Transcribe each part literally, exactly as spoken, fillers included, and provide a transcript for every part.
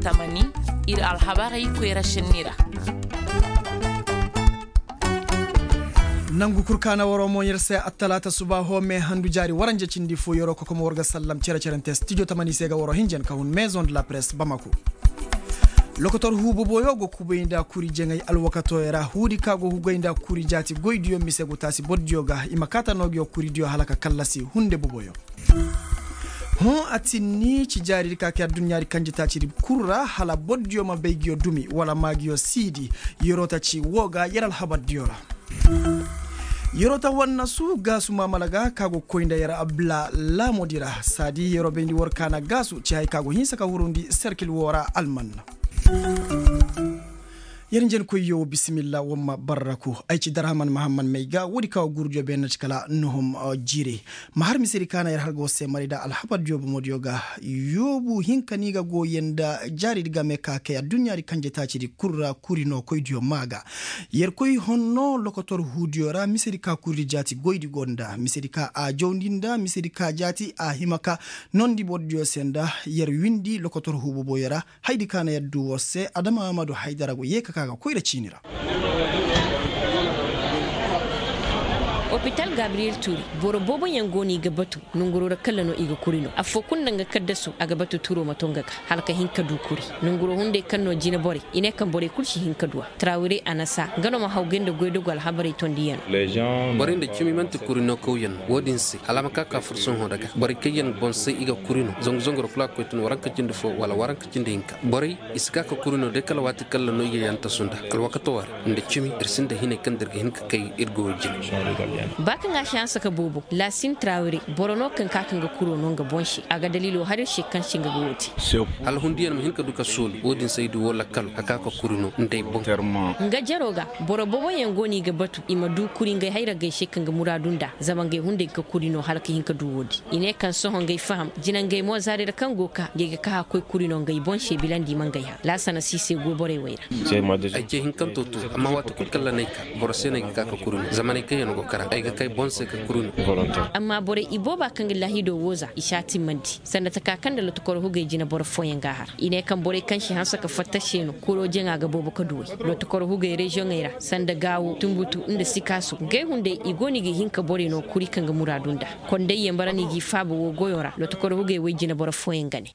Tamani, ir alhabarey koyra šenni ra. Nangu kul kaana waroo mo yer se attalaata subaaho me handu jaari waranja cindi fo yeroo kokomo war ga sallam cere-cerante stijo tamani se ga waroo hinjan ka hun maison de la presse bamako. Lokotor huu boboyo go kubay nda kuri jaŋay alwakatooyo ra huudi ka go hugay nda kuri jaati goydiyo mise go taasi bordiyo ga i ma kaata noo nguyo kuridiyo hala ka kallasi hunde boboyo. Hõ a tinni ci jaaridi ka kay adduɲɲaadi kanjetaacidi kul ra hala bordiyo ma bay nguyo dumi wala ma nguyo siidi. Yeroo ta ci woo ga yer alhabardiyo ra. Yeroo ta wannasu gaasu maamala ga ka go koy nda yer abla laamodi ra saadi yeroo bayndi war kaana gaasu ci hay ka go hinsa ka hurundi serkil woo ra almanna. Yer njenkoyyo bisimilla wamma barraku ay ci darhaman mahamman may ga woodi ka wa gurudiyo beenna ci kala nuhum jire. Ma har misedi ka na yer har ga war se marayda alhabardiyo bomodiyo ga. Yoobu hinka ni ga go yer nda jaaridi game ka kay adduɲɲaadi kanjetaacidi kul ra kuri no koydiyo maa ga. Yer koy honno lokotor huudiyo ra misedi ka kuridi jaati goydi go nda misedi ka a jawndi nda misedi ka jaati a hima ka nondi bordiyo se nda yer windi lokotor huu boboyo ra. Haydi ka na yaddu war se adama amadu haydara go yee ka ka ga koyra ciini ra. Opital gabriyel turi boro booboyaŋ go no i ga batu. Nanguroo ra kalla no i ga kuri no affoo kul nda nga kaddasu a ga batu turoo ma to nga ga hala ka hin ka du kuri. Nanguroo hunday kaŋ no jine borey i ne kaŋ borey kul si hin ka du a. Tarawire anasa nga no ma hawgay nda goydogu alhabarey tondiyaŋ. Borey nda cimi man'ti kuri no kawyaŋ no wo-din se hala a ma ka ka fursohõ nda ga borey kaŋ yaŋ boŋ se i ga kuri no zangu zangu ra kul a ga koy tun waranka cindi fo wala waranka cindi hinka borey i si ka ka kuri no day kala waati kaŋ ra no i ga yaŋ tasu nda alwakato wara nda cimi ir sinda hinay kaŋ da ir ga hin ka kay ir goyo jine. Ba kaŋ a si hanse ka boobo laasin tarawire boro no kaŋ ka ka nga kuro no nga boŋ se a ga daliilo har ir se kaŋ se nga ga wo te. Hala hundiyaŋ ma hin ka du ka soolu wo-din se ay du wo lakkalo ka ka ka kuri no nda ay boŋ. Nga jaro ga boro booboyaŋ go no i ga batu i ma du kuri ngey hayragey se kaŋ ga muraadu nda zama ngey hunday ga ka kuri no hala ka hin ka du wo-din. I ne kaŋ sohõ ngey faham jinangey mo zaari ra kaŋ go ka ngey ga ka ka koy kuri no ngey boŋ se bilandi ma ngey hã laasana si se goy borey wey ra. Ay ce hinkanto to amma waati kul kaŋ ra n'ay ka boro se no ay ga ka ka kuri no zama n'ay kaŋ yaŋ go kara ay ga kay boŋ se ka kuri no. Amma borey ibooba kaŋ ga laahido woo za i si a timmandi sanda taka kaŋ nda lotokoro hugey jine boro fooyaŋ ga a har i ne kaŋ borey kaŋ si hanse ka fatta se no kuro jaŋa ga boobo ka duwey. Lotokoro hugey reziyoŋey ra sanda gaawo tunbutu nda sikaaso ngey hunday i go no i ga hin ka borey no kuri kaŋ ga muraadu nda. Konday yambara no i g'i faaba woo goyo ra lotokoro hugey woy jine boro fooyaŋ ga ne.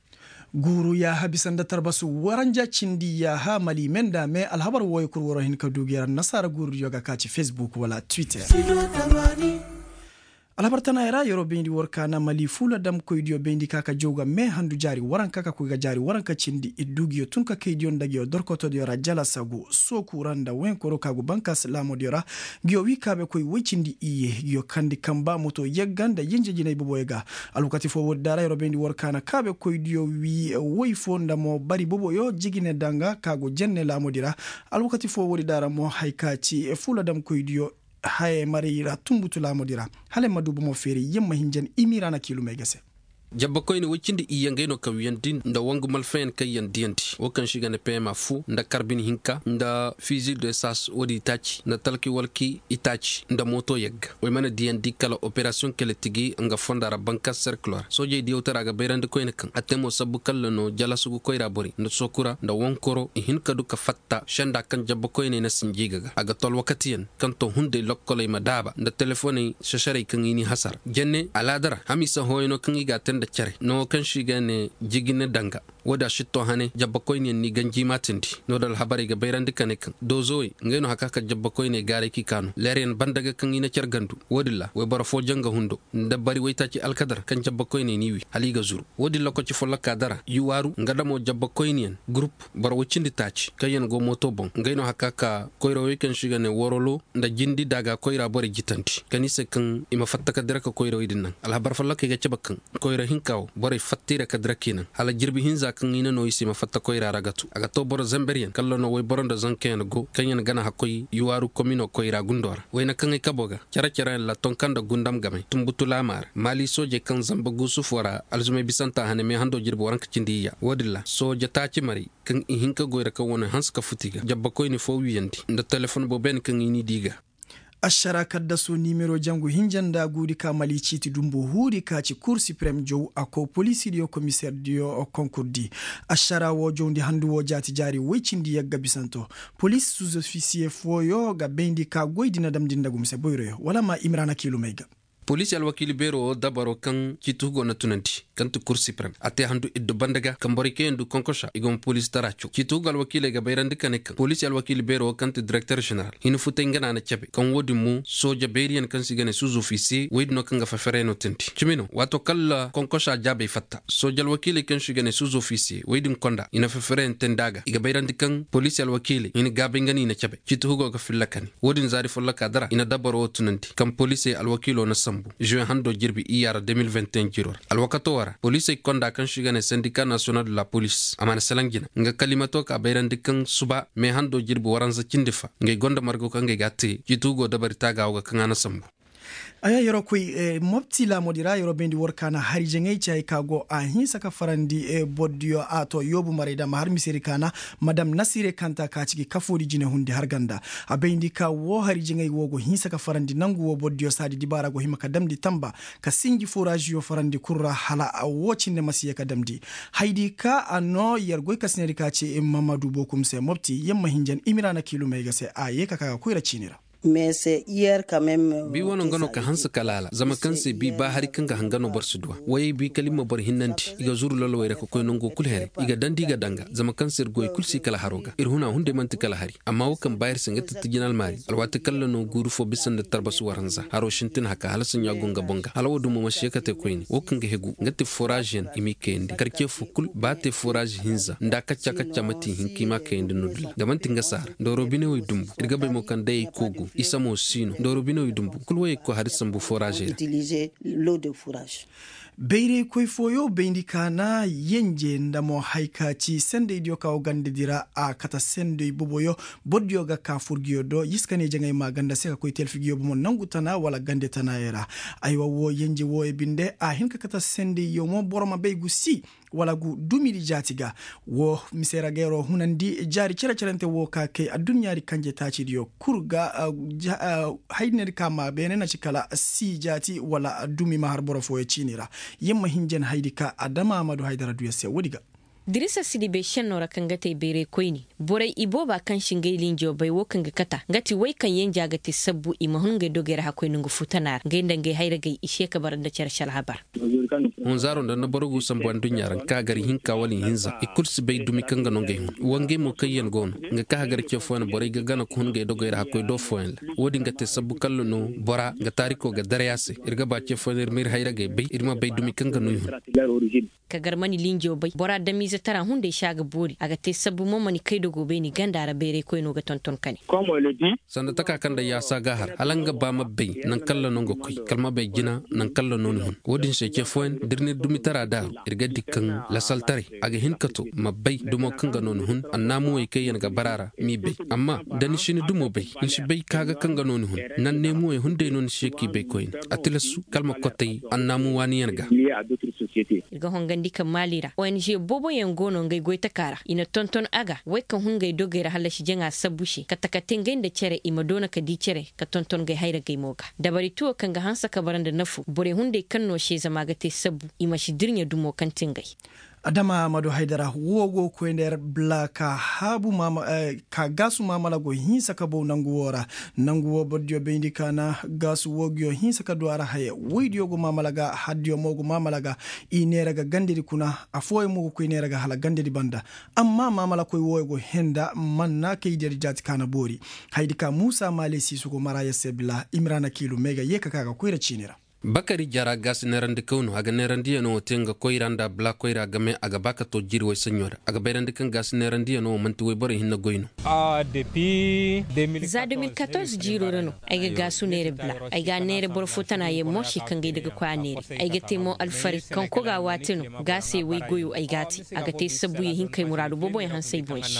Guuru yaaha bisa nda tarbasu waranja cindi yaaha mali me nda me alhabar wooyo kul waroo hin ka du ga yer annasaara guurudiyo ga ka ci fesbuk wala twitter. Alhabar tanaayoo ra yeroo bayndi war kaana mali fuula damkoydiyo bayndi ka ka jaw ga me handu jaari waranka ka koy ga jaari waranka cindi ir du nguyo tun ka kaydiyo nda nguyo dorkotodiyo ra jalasagu sooku ra nda wenkoro ka go bankas laamodiyo ra. Nguyo wii kaabekoy woy cindi iyye nguyo kandi kamba moto yagga nda yenje jinay boboyo ga. Alwakati foo woodi da ra yeroo bayndi war kaana kaabekoydiyo wii woy foo nda mo bari boboyo jigine danga ka go jenne laamodi ra. Alwakati foo woodi da ra mo haya ka ci fuula damkoydiyo haya maray ra tunbutu laamudi ra. Hala ay ma du bomo feeri yamma hinjan imiiraana kiilumey ga se. Jabbakoyne woy cindi iyye ngey no kawiyandi nda wangu malfayaŋ kaŋ yaŋ diyandi wo kaŋ se i ga ne pema fu nda karbin hinka nda fizil de sas woodi itaaci nda talki walki itaaci nda mooto yagga. Woy mana diyandi kala operasiyoŋ kele tigi nga fonda ra banka serkilo ra soojey diyawtara ga bayrandi koyne kaŋ a te mo sabbu kalla no jalasugu koyra borey nda sokura nda wankoro i hin ka du ka fatta senda kaŋ jabbakoyney na sinji ga ga a ga to alwakatiyaŋ kaŋ to hunday lokkoley ma daaba nda telefoney sesarey kaŋ i n'i hasara jenne alaada ra hamiisa hooyano kaŋ i g'a te nda care nango kaŋ se i ga ne jigine danga. Wo-din a si to hane jabbakoyneyaŋ n'i ganji maatindi. No-din alhabarey ga bayrandi ka ne kaŋ doozowey ngey no haka ka jabbakoyney gaaray k'i kaanu leeryaŋ banda ga kaŋ i na care gandu. Wo-din ra wayboro fo janga hundo nda bari waytaaci alkadar kaŋ jabbakoyney n'i wi hala i ga zuru. Wo-din lokaci follokaa dara yuwaaru nga damo jabba koyniyaŋ gurup boro woy cindi taaci kaŋyaŋ go mooto boŋ ngey no haka ka koyrawey kaŋ se i ga ne worolo nda jindi daaga koyra borey jitandi kaŋ i se kaŋ i ma fatta ka dira ka koyrawey din naŋ alhabar follokey ga cabe kaŋ koyra hinka wo borey fatta i ra ka dira k'i naŋ hala jirbi hinza kaŋ i na no i se i ma fatta koyra ra ga tu a ga to boro zamberyaŋ kalla no wayboro nda zankayaŋ go kaŋyaŋ gana hakkoy yuwaaru komino koyra gundo ra wayna kaŋ ay kabo ga care-careyaŋ ra tonka nda gundam game tunbutu laama ra maali soojey kaŋ zamba guusu fo ra alzumey bisanta hane meehando jirbi waranka cindi iyya wo-din ra sooja taaci maray kaŋ i hin ka goy ra kaŋ wane hanse ka futi ga jabbakoyne fo wiyandi nda telefon booboyaŋ kaŋ i n'i di ga. Ašara kaddaso nimero jangu hinja nda guudi ka mali ciiti dumbu huudi ka ci kur siprem jow a ko poliisidiyo komiserdiyo konkurdi. Ašara wo jowndi handu wo jaati jaari woy cindi yagga bisanto. Poliis suzofisiye fooyo ga bayndi ka goydi na damndi nda gumse boyroyo wala ma imrana kiilumey ga. Poliisi alwakiili beero wo dabaro kaŋ ciiti hugo na tunandi, kaŋ ti kur siprem a te handu iddu banda ga kaŋ borey kaŋ yaŋ du konkosa i go ma poliisi tara caw ciiti hugo alwakiiley ga bayrandi ka ne kaŋ poliisi alwakiili beero wo kaŋ ti direkter ženeral hina futay nga na na cabe kaŋ wo-din mo sooja beeriyaŋ kaŋ se i ga ne suzofisiye woy din no kaŋ ga fefereyaŋo teendi cimi no waato kala konkosa jaabey fatta sooja alwakiiley kaŋ se i ga ne suzofisiye woy din konda i na fefereyaŋ teendi a ga i ga bayrandi kaŋ poliisi alwakiiley hina gaabay nga no i na cabe ciiti hugo ga filla kani. Wo-din zaari folloka dara i na dabaro wo tunandi kaŋ poliisey alwakiilo na sambu žuwe hando jirbi iyya ra de mil vintin jiiro ra alwakato wo ra poliisey konda kaŋ se i ga ne sendika nasiyonal de la poliis a mana salaŋ jina nga kalimato ka bayrandi kaŋ suba me hando jirbi waranza cindi fa ngey gonda margo kaŋ ngey ga a te ciiti hugo dabari taaga wo ga kaŋ a na sambu. Aya yeroo koy mopti laamoodi ra yeroo bayndi war kaana hari jaŋay ci hay ka go a hinsa ka farandi bordiyo a to yoobu maray da ma har misedi kaana madam nasire kanta ka ci gi kafoodi jine hundi har ganda. A bayndi ka woo hari jaŋay woo go hinsa ka farandi nangu woo bordiyo saadi dibaara go hima ka damndi tamba ka sinji foraaziyo farandi kul ra hala woo cindi ma si yee ka damndi. Haydi ka a noo yer goy ka sinedi ka ci mamadu bookum se mopti yer ma hinjan imiraana kiilumey ga se a yee ka ka ga koyra ciini ra. Bi wano nga no ka hanse kala hala zama kaŋ se bi ba hari kaŋ ga hanga no boro si duw'a wayey bi kala i ma boro hinnandi. I ga zuru lolowey ra ka koy nango kulu here i ga dandi i ga danga zama kaŋ se ir goy kulu si kala haro ga ir huna hunday man'ti kala hari. Amma wo kaŋ ba ir se nga ti tijin almaari alwaati kala no guuru fo bisa nda tarbasu waranza haro sintin haka hala saɲɲa go nga boŋ ga hala wo dumo ma si ye ka te koyne wo kaŋ ga hegu nga ti foraaziyaŋ i m'i kayandi karce fo kulu ba te foraazi hinza nda kacca kacca ma ti i hin ka i m'a kayandi no dilla ga man'ti nga saara nda robinewey dumbu ir ga bay mo kaŋ day ay koogu isa mo si no nda robinewey dumbu kulu wayey ga koy hari sambu foraazey ra. Bayraykoy fooyo bayndi kaana yenje nda mo hay ka ci sendaydiyo ka go gandadi ra a kate senday boboyo. Bordiyo ga ka furgiyo do yiska ne jaŋay ma ganda se ka koy telfigiyo bomo nangu tana wala gande tanayo ra. Aywa wo yenje wooyo binde a hin ka kate sendayyo mo boro ma bay gu si wala gu dumidi jaati ga. Wo mise ra ga yer'o hunandi jaari cere-cerente wo ka kay adduɲɲaadi kanje taacidiyo kul ga haydinadi ka ma beene na ci kala si jaati wala dumi ma har boro fooyo ciini ra. Yer ma hin jen haydi ka adama amadu haydara du yer se woodi ga. Dirisa sidibey šennoo ra kaŋ ga te bayray koyne borey ibooba kaŋ si ngey linjo bay wo kaŋ ga kata nga ti wey kaŋ yenja ga te sabbu i ma hun ngey dogey ra hakkoy nongu futana ra ngey nda ngey hayragey i se ka bara nda cere si alhabar. Hunzaaro nda nda boro gu sambu adduɲɲa ra nga ka gar ihinka wala ihinza i kulu si bay dumi kaŋ ga no ngey hun wa ngey mo kaŋ yaŋ go no nga ka hagar ce fooyaŋ borey ga gana ka hun ngey dogey ra hakkoy do fooyaŋ ra. Wo-din ga te sabbu kalla no bora nga taariko ga daray a se ir ga ba ce fooyaŋ ir ma ir hayragey bay ir ma bay dumi kaŋ ga no i hun. Ka gar mani linjo bay bora damiize tara hunday se a ga boori a ga te sabbu mo mani kay dogo bay ni ganda ra bayray koyno ga tonton kane. Sanda taka kaŋ da yaasa ga har hala nga ba ma bay naŋ kalla no nga koy kala ma bay jina naŋ kalla no ni hun. Wo-din se ce fooyaŋ da ir na ir dumi tara daaru ir ga di kaŋ lasaltaray a ga hin ka to ma bay dumo kaŋ ga no ni hun annaamuwey kaŋ yaŋ ga bara ra m'i bay. Amma da ni si ni dumo bay ni si bay kaaga kaŋ ga no ni hun. Nanneemuwey hunday no ni si ye k'i bay koyne a tilasu kala ma kotay annaamu waaniyaŋ ga. Ir ga hongandi ka maali ra ong booboyaŋ go no ngey goytaka ra i na tonton a ga wey kaŋ hun ngey dogey ra hallasi jaŋa sabbu se kate ka te ngey nda cere i ma doona ka di cere ka tonton ngey hayragey mo ga. Dabari tuwo kaŋ ga hanse ka bara nda nafu borey hunday kaŋ no se zama a ga te sabbu i ma si dirɲe dumo kaŋ ti ngey. Adama amadu haydara wo go koy nda yer bla ka haabu ka gaasu maamala go hinsa ka bow nangu wo ra. Nangu wo bordiyo bayndi kaana gaasu wo ga yo hinsa ka du a ra haya woydiyo go maamala ga hardiyo mo go maamala ga. I neera ga gandedi kuna afooyaŋ mo ga koy neera ga hala gandedi banda. Amma maamalakoy wooyo go henda manna kay diyadi jaati kaana boori. Haydi ka muusa maale siisu go mara yer se bila imiraana kiilu may ga yee ka ka ga koyra ciini ra. Bakari jara gaasi neerandikaw no a ga neerandiyanoo wo te nga koyra nda bala koyra game a ga ba ka to jiiri woy saɲɲo ra a ga bayrandi kaŋ gaasi neerandiyanoo wo man'ti woyborey hinne goy no. Za de mil katorze jiiroo ra no ay ga gaasu neere bala. Ay ga a neere boro fo tana yaŋ mo se kaŋ ga ay daga koy a neere ay ga te mo alfaray kaŋ koga waati no. Gaasey woy goyoo ay ga a te a ga te sabbuyaŋ hinka ay muraadu booboyaŋ hanse ay boŋ se.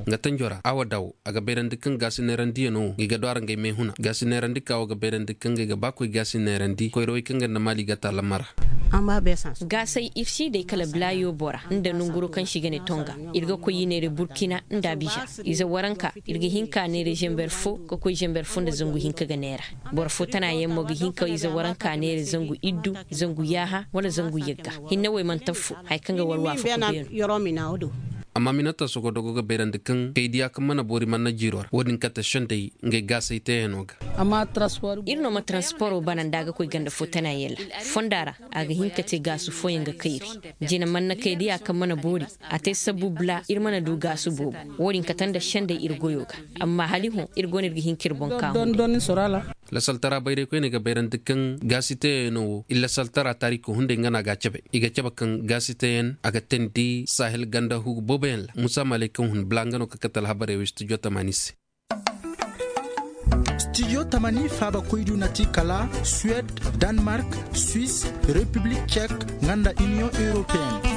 Nga tanjo ra awa dawo a ga bayrandi kaŋ gaasi neerandiyanoo wo ngey ga du a ra ngey meehuna gaasi neerandi ka wo ga bayrandi kaŋ ngey ga ba koy gaasi neerandi koyrawey kaŋ ga nda maali ga taalamma ra. Gaasay ir si day kala blayo bora nda nonguro kaŋ se i ga ne tonga. Ir ga koy i neeray burkina nda abiza. Ize waranka ir ga hin ka neeray zember fo ka koy zember fo nda zangu hinka ga neera. Boro fo tana yaŋ mo ga hin ka ize waranka neeray zangu iddu, zangu yaaha, wala zangu yagga. Hinne wey mana taffo haya kaŋ ga war waafako beenu. Amma minata sogodogo ga bayrandi kaŋ kay diya kaŋ mana boori mana jiiro ra wo-din kate sendey ngey gaasay teeyaŋo ga. Ir no ma transporo bana nda a ga koy ganda fo tana yaŋ ra fonda ra. A ga hin ka te gaasu fooyaŋ ga kayri. Jina mana kay diya kaŋ mana boori. A te sabbu bula ir mana du gaasu boobo. Wo-din kate nda sendey ir goyo ga. Amma hala i hõ ir go no ir ga hin ka ir boŋ kaahu. Lasaltara bayraykoyney ga bayrandi kaŋ gaasiteyaŋo wo i lasaltara taariko hunday nga no a ga a cabe i ga cabe kaŋ gaasiteyaŋ a ga teendi sahel ganda hugu booboyaŋ ra musa maley kaŋ hun bula nga no ka kate alhabarey wo studio tamaani se. Studio tamaani faabakoydu na ti kala suwed, danmark, suis, repiblik cek, nga nda iniyoŋ europeyenne.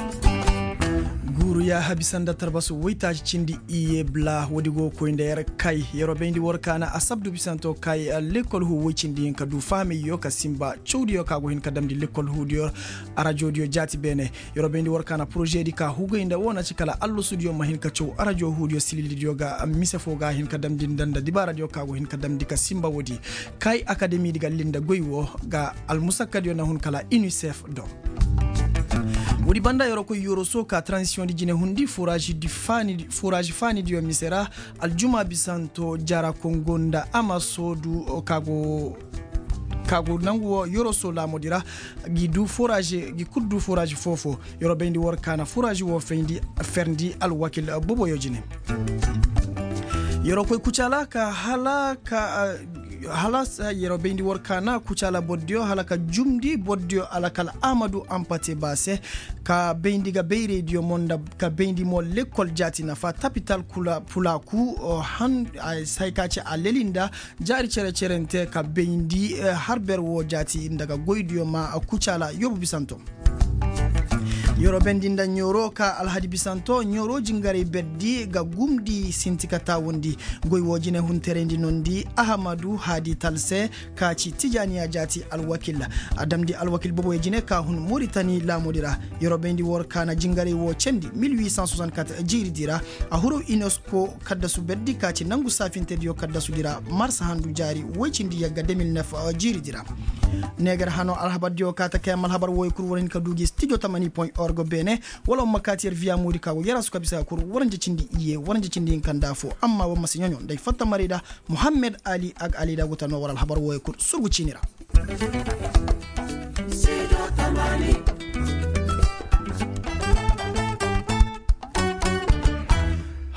Guuru yaaha bisa nda tarbasu woytaaci cindi iyye bula woodi go ga koy nda yer kay yeroo bayndi war kaana asabdu bisanto kay lekkol huu woy cindi hinka du fahamey yoo ka sinba cawdiyo ka go hin ka damndi lekkol huudiyo. Arajoodiyo jaati beene yeroo bayndi war kaana porožedi ka hugay nda wo na ci kala allasudiyo ma hin ka caw arajo huudiyo sililidiyo ga mise foo ga hin ka damndi nda nda dibaaradiyo ka go hin ka damndi ka sinba woodi. Kay akademidi ga linda goy woo ga almusakkadiyo na hun kala inisef do. Woodi banda yeroo koy yoroso ka transisiyoŋdi jine hundi furaaži faanidiyo mise ra. Aljuma bisanto jara kongo nda amaso du ka go nangu woo yoroso laamudi ra. Gi du furaaži gi kul du furaaži foo-foo. Yeroo bayndi war kaana furaaži woo fayndi ferndi alwakil boboyo jine. Yeroo koy kucaala ka hala ka hala yeroo bayndi war kaana kucaala bordiyo hala ka jumndi bordiyo alakal amadu ampate ba se. Ka bayndi ga bayraydiyo mo nda ka bayndi mo lekkol jaati nafa tapital pulaaku. Hay ka ci a leli nda jaari cere-cerente ka bayndi harber woo jaati nda ga goydiyo ma kucaala yoobu bisanto. Yeroo bayndi nda ɲooro ka alhadi bisanto ɲooro jingaray berdi ga gumndi sinti ka taawundi. Goy woo jine hunterayndi nondi ahamadu haadi talse ka ci tijaaniya jaati alwakil. A damndi alwakil boboyo jine ka hun moritani laamudi ra. Yeroo bayndi war kaana jingaray woo cendi mil huit cent soixante-quatre jiiridi ra. A huru unesco kaddasu berdi ka ci nangu saafintediyo kaddasudi ra marsa handu jaari woy cindi yagga deux mille neuf jiiridi ra. Neegar hano alhabardiyo ka ta kay amma alhabar wooyo kul war hin ka du gi studio tamani point org beene. Wala war ma kaati yer viya moodi ka go yer a su ka bisa kul waranja cindi iyye waranja cindi hinka nda foo amma war ma si ɲoɲo nda ay fatta marayda. Muhammed ali ag ali da go ta noo war alhabar wooyo kul surgu ciini ra.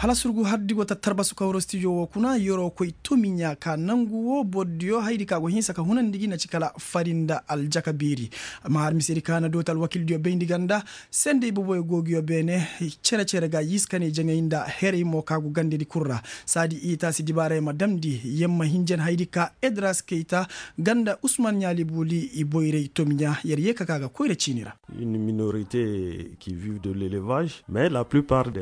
Hala surgu hardi go ta tarbasu ka wuro stijo woo kuna yeroo koy tomiɲa ka nangu woo bordiyo haydi ka go hinsa ka hunandi gi na ci kala fari nda aljaka beeri. Amma har misedi ka na dooti alwakildiyo bayndi ganda. Sendey boboyo go gi yoo beene. Cere-cere ga yiskaney jaŋay nda herey mo ka go gandedi kul ra. Saadi i taasi dibaaray ma damndi yer ma hinjan haydi ka edras keyta ganda usman ɲaali buuli i boyray tomiɲa yer yee ka ka ga koyra ciini ra.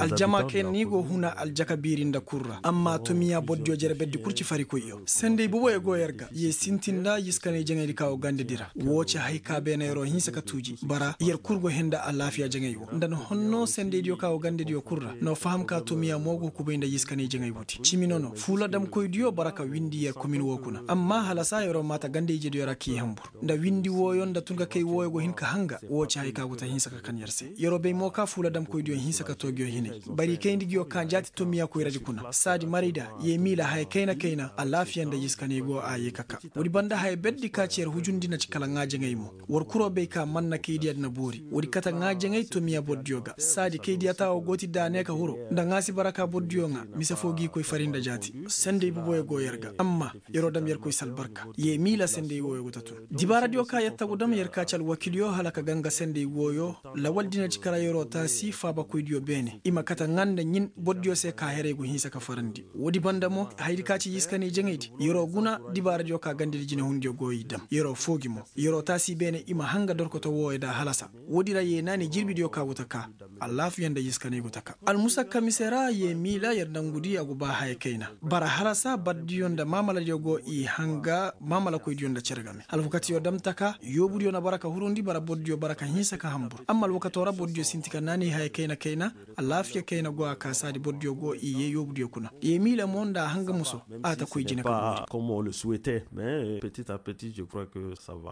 Aljama kay ni go huna aljaka biiri nda kul ra amma tomiya bordiyo jere berdi kul ci farikoyyo sendey boboyo go yer ga ye sintin nda yiskaney jaŋaydi ka go gandedi ra. Woo ci hay ka beene yeroo hinsa ka tuuji bara yer kul go hee nda alaafiya jaŋay wo nda ni honno sendeydiyo ka go gandediyo kul ra no faham ka tomiya mo go kubay nda yiskaney jaŋay woodi cimi nono fuula damkoydiyo bara ka windi yer komin woo kuna amma hala saa yeroo maata ganda-ijediyo ra k'i hanbur nda windi wooyo nda tun ka kay wooyo go hin ka hanga woo ci hay ka go ta hinsa ka kan yer se yeroo bay mo ka fuula damkoydiyo hinsa ka too nguyo hinay bari kayndi nguyo ka jaati tomiya koyraji kuna saadi marayda ye miila haya kayna-kayna alaafiya nda yiskaney go a ye ka ka woodi banda haya berdi ka ci yer hujundi na ci kala ŋaajaŋay mo war kuroo bay ka man na kaydiya di na boori woodi kate ŋaajaŋay tomiya bordiyo ga saadi kaydiya taawo go ti daane ka huro nda ŋaasi bara ka bordiyo ŋaa mise foo g'i koy fari nda jaati sendey boboyo go yer ga amma yeroo dam yer koy si albarka ye miila sendey wooyo go ta tun dibaaradiyo ka yer tagu dam yer ka ci alwakilyo hala ka ganga sendey wooyo lawal di na ci kala yeroo taasi faabakoydiyo beene i ma kate ŋaa nda ɲin bordiyo Se ka heray go hinsa ka farandi woodi banda mo hayadi ka ci yiskanay jaŋaydi yer'o guna dibaaradiyo ka gandadi jinehundiyo go i dam yer'o foogi mo yer'o taasi beene i ma hanga dorkoto wooyo nda a halasa. Woodi ra yee naanay jirbidiyo ka go ta kaa. Alaafiya nda yiskanay go ta kaa almusakka mise ra yee miila yer nangudi a go ba haya kayna. Bara halasa bardiyo nda maamaladiyo go i hanga maamalakoydiyo nda cere game alfakatiyo dam ta kaa yoobudiyo na bara ka hurundi bara bordiyo bara ka hinsa ka hambur amma alwakato ra bordiyo sinti ka naanay haya kayna kayna. Alaafiya kayna go a kaasaadi bordiyo go i yee yoobudiyo kuna yee miila mo nda a hanga muso. A ta koy jine ka go. Comme on le souhaitait mais petit à petit je crois que ça va.